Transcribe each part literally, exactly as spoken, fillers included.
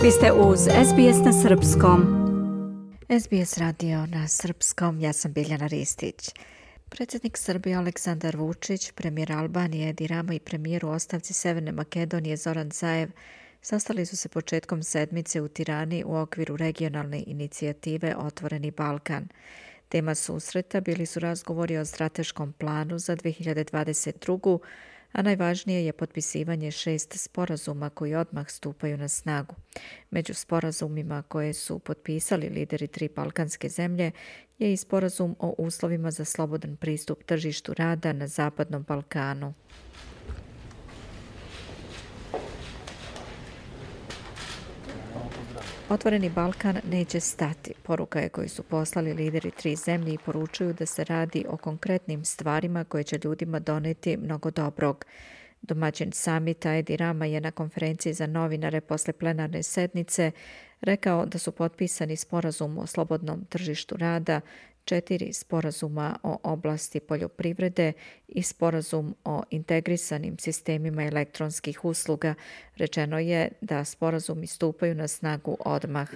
Vi ste uz S B S na srpskom. S B S radio na srpskom, ja sam Biljana Ristić. Predsjednik Srbije Aleksandar Vučić, premijer Albanije Edi Rama i premijer u ostavci Severne Makedonije Zoran Zaev sastali su se početkom sedmice u Tirani u okviru regionalne inicijative Otvoreni Balkan. Tema susreta bili su razgovori o strateškom planu za dve hiljade dvadeset drugu. a najvažnije je potpisivanje šest sporazuma koji odmah stupaju na snagu. Među sporazumima koje su potpisali lideri tri balkanske zemlje je i sporazum o uslovima za slobodan pristup tržištu rada na Zapadnom Balkanu. Otvoreni Balkan neće stati. Poruka je koju su poslali lideri tri zemlje i poručuju da se radi o konkretnim stvarima koje će ljudima doneti mnogo dobrog. Domaćin samita Edi Rama je na konferenciji za novinare posle plenarne sednice rekao da su potpisani sporazum o slobodnom tržištu rada, četiri sporazuma o oblasti poljoprivrede i sporazum o integrisanim sistemima elektronskih usluga. Rečeno je da sporazumi stupaju na snagu odmah.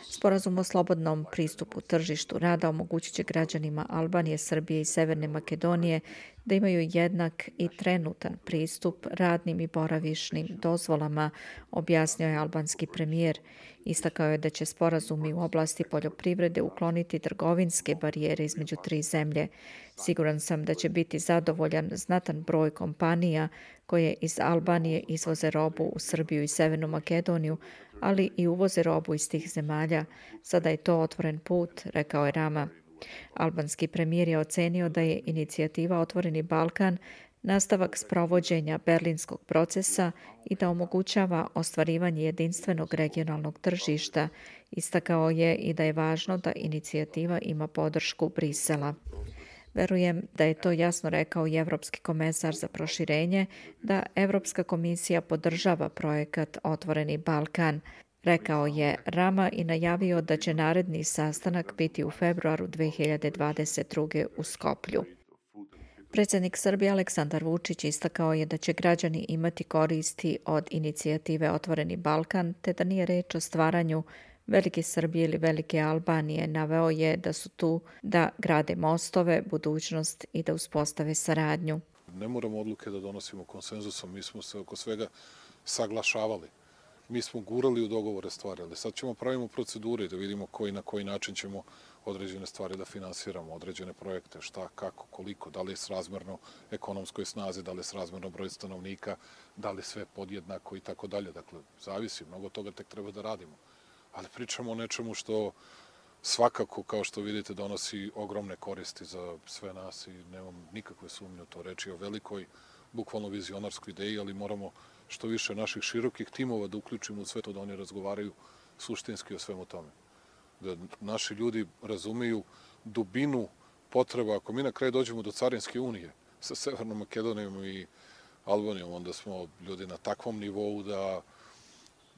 Sporazum o slobodnom pristupu tržištu rada omogućit će građanima Albanije, Srbije i Severne Makedonije da imaju jednak i trenutan pristup radnim i boravišnim dozvolama, objasnio je albanski premijer. Istakao je da će sporazumi u oblasti poljoprivrede ukloniti trgovinske barijere između tri zemlje. Siguran sam da će biti zadovoljan znatan broj kompanija koje iz Albanije izvoze robu u Srbiju i Severnu Makedoniju, ali i uvoze robu iz tih zemalja. Sada je to otvoren put, rekao je Rama. Albanski premijer je ocenio da je inicijativa Otvoreni Balkan nastavak sprovođenja berlinskog procesa i da omogućava ostvarivanje jedinstvenog regionalnog tržišta. Istakao je i da je važno da inicijativa ima podršku Brisela. Verujem da je to jasno rekao i Evropski komesar za proširenje, da Evropska komisija podržava projekat Otvoreni Balkan. Rekao je Rama i najavio da će naredni sastanak biti u februaru dve hiljade dvadeset druge u Skoplju. Predsjednik Srbije Aleksandar Vučić istakao je da će građani imati koristi od inicijative Otvoreni Balkan, te da nije reč o stvaranju Velike Srbije ili Velike Albanije. Naveo je da su tu da grade mostove, budućnost i da uspostave saradnju. Ne moramo odluke da donosimo konsenzusom, mi smo se oko svega saglašavali. Mi smo gurali u dogovore stvari, ali sad ćemo pravimo procedure da vidimo koji na koji način ćemo određene stvari da finansiramo, određene projekte, šta, kako, koliko, da li je srazmerno ekonomskoj snazi, da li je srazmerno broj stanovnika, da li sve podjednako i tako dalje. Dakle, zavisi, mnogo toga tek treba da radimo. Ali pričamo o nečemu što svakako, kao što vidite, donosi ogromne koristi za sve nas i nemam nikakve sumnje u to. Reči o velikoj, bukvalno vizionarskoj ideji, ali moramo što više naših širokih timova da uključimo u sve to da oni razgovaraju suštinski o svemu tome. Da naši ljudi razumiju dubinu potreba. Ako mi na kraju dođemo do Carinske unije sa Severnom Makedonijom i Albanijom, onda smo ljudi na takvom nivou da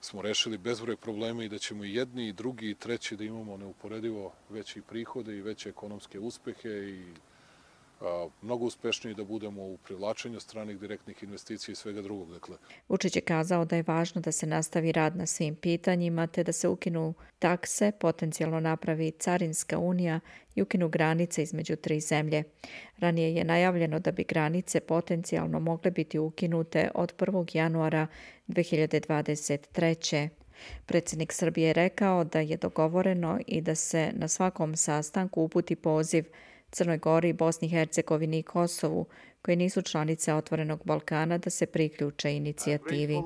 smo rešili bezbroj problema i da ćemo i jedni, i drugi, i treći da imamo neuporedivo veće prihode i veće ekonomske uspehe i a, mnogo uspešniji da budemo u privlačenju stranih direktnih investicija i svega drugog. Dakle. Vučić je kazao da je važno da se nastavi rad na svim pitanjima, te da se ukinu takse, potencijalno napravi Carinska unija i ukinu granice između tri zemlje. Ranije je najavljeno da bi granice potencijalno mogle biti ukinute od prvog januara dve hiljade dvadeset treće. Predsjednik Srbije je rekao da je dogovoreno i da se na svakom sastanku uputi poziv Crnoj Gori, Bosni i Hercegovini i Kosovu, koje nisu članice Otvorenog Balkana, da se priključe inicijativi.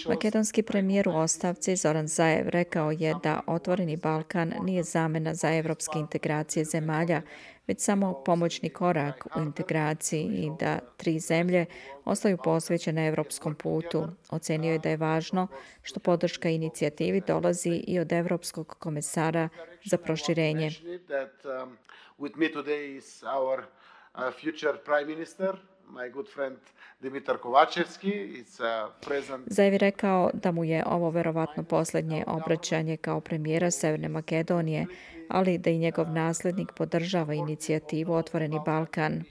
Makedonski premijer u ostavci Zoran Zaev rekao je da Otvoreni Balkan nije zamena za evropske integracije zemalja, već samo pomoćni korak u integraciji i da tri zemlje ostaju posvećene evropskom putu. Ocenio je da je važno što podrška inicijativi dolazi i od Evropskog komesara za proširenje. my good friend Dimitar Kovačevski. It's a present... Zaev je rekao da mu je ovo verovatno posljednje obraćanje kao premijera Severne Makedonije, ali da i njegov naslednik podržava inicijativu Otvoreni Balkan.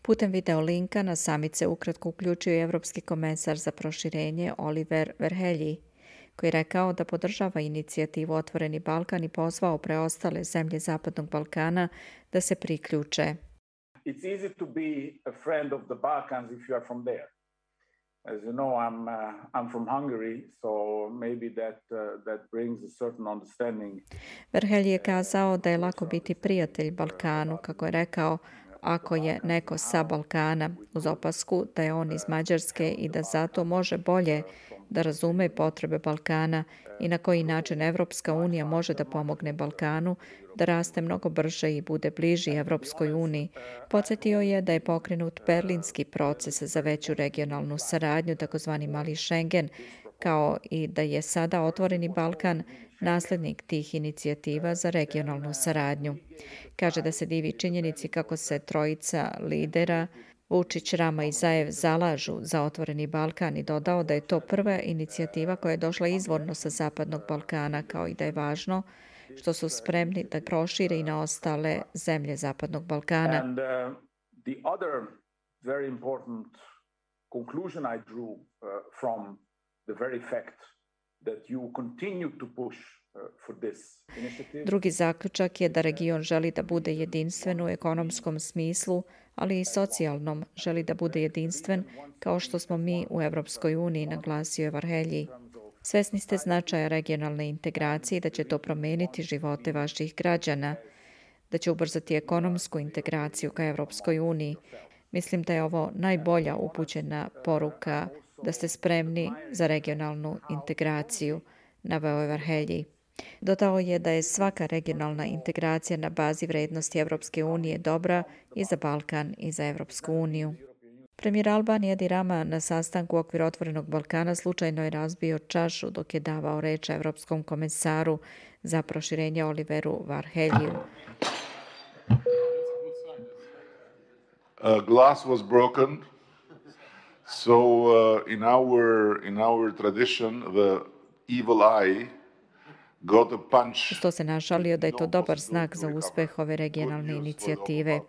Putem video linka na samit se ukratko uključio i Evropski komesar za proširenje Oliver Varhelyi, koji je rekao da podržava inicijativu Otvoreni Balkan i pozvao preostale zemlje Zapadnog Balkana da se priključe. It's easy to be a friend of the Balkans if you are from there. As you know, I'm uh, I'm from Hungary, so maybe that uh, that brings a certain understanding. Varhelyi je kazao da je lako biti prijatelj Balkanu, kako je rekao, ako je neko sa Balkana, uz opasku da je on iz Mađarske i da zato može bolje da razume potrebe Balkana i na koji način Evropska unija može da pomogne Balkanu da raste mnogo brže i bude bliži Evropskoj uniji. Podsjetio je da je pokrenut berlinski proces za veću regionalnu saradnju, takozvani Mali Schengen, kao i da je sada Otvoreni Balkan naslednik tih inicijativa za regionalnu saradnju. Kaže da se divi činjenici kako se trojica lidera Vučić, Rama i Zaev zalažu za Otvoreni Balkan i dodao da je to prva inicijativa koja je došla izvorno sa Zapadnog Balkana, kao i da je važno što su spremni da prošire i na ostale zemlje Zapadnog Balkana. And uh, the other very important conclusion I drew uh, from the very fact that you continue to push uh, for this initiative. Drugi zaključak je da region želi da bude jedinstven u ekonomskom smislu, ali i socijalnom, želi da bude jedinstven kao što smo mi u Evropskoj uniji, naglasio je Varhelyi. Svesni ste značaja regionalne integracije i da će to promeniti živote vaših građana, da će ubrzati ekonomsku integraciju ka Evropskoj uniji. Mislim da je ovo najbolja upućena poruka da ste spremni za regionalnu integraciju, naveo je Varhelyi. Dodao je da je svaka regionalna integracija na bazi vrednosti Evropske unije dobra i za Balkan i za Evropsku uniju. Premijer Albanije Edi Rama na sastanku u okviru Otvorenog Balkana slučajno je razbio čašu dok je davao reč Evropskom komesaru za proširenje Oliveru Varheliju. Uh, glass was broken, so uh, in our in our tradition, the evil eye got a punch. Što se našalio da je to dobar znak za uspeh ove regionalne inicijative.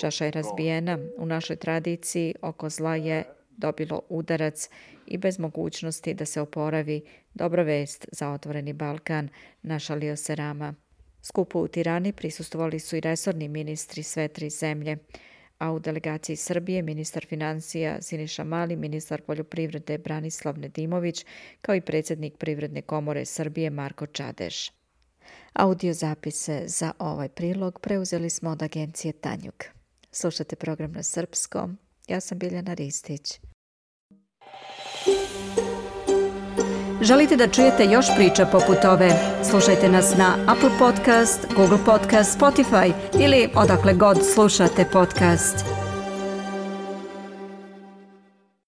Čaša je razbijena. U našoj tradiciji oko zla je dobilo udarac i bez mogućnosti da se oporavi. Dobra vest za Otvoreni Balkan, našalio se Rama. Skupu u Tirani prisustvovali su i resorni ministri sve tri zemlje, a u delegaciji Srbije ministar financija Siniša Mali, ministar poljoprivrede Branislav Nedimović, kao i predsjednik Privredne komore Srbije Marko Čadeš. Audio zapise za ovaj prilog preuzeli smo od agencije Tanjug. Slušate program na srpskom. Ja sam Biljana Ristić. Želite da čujete još priča poput ove? Slušajte nas na Apple Podcast, Google Podcast, Spotify ili odakle god slušate podcast.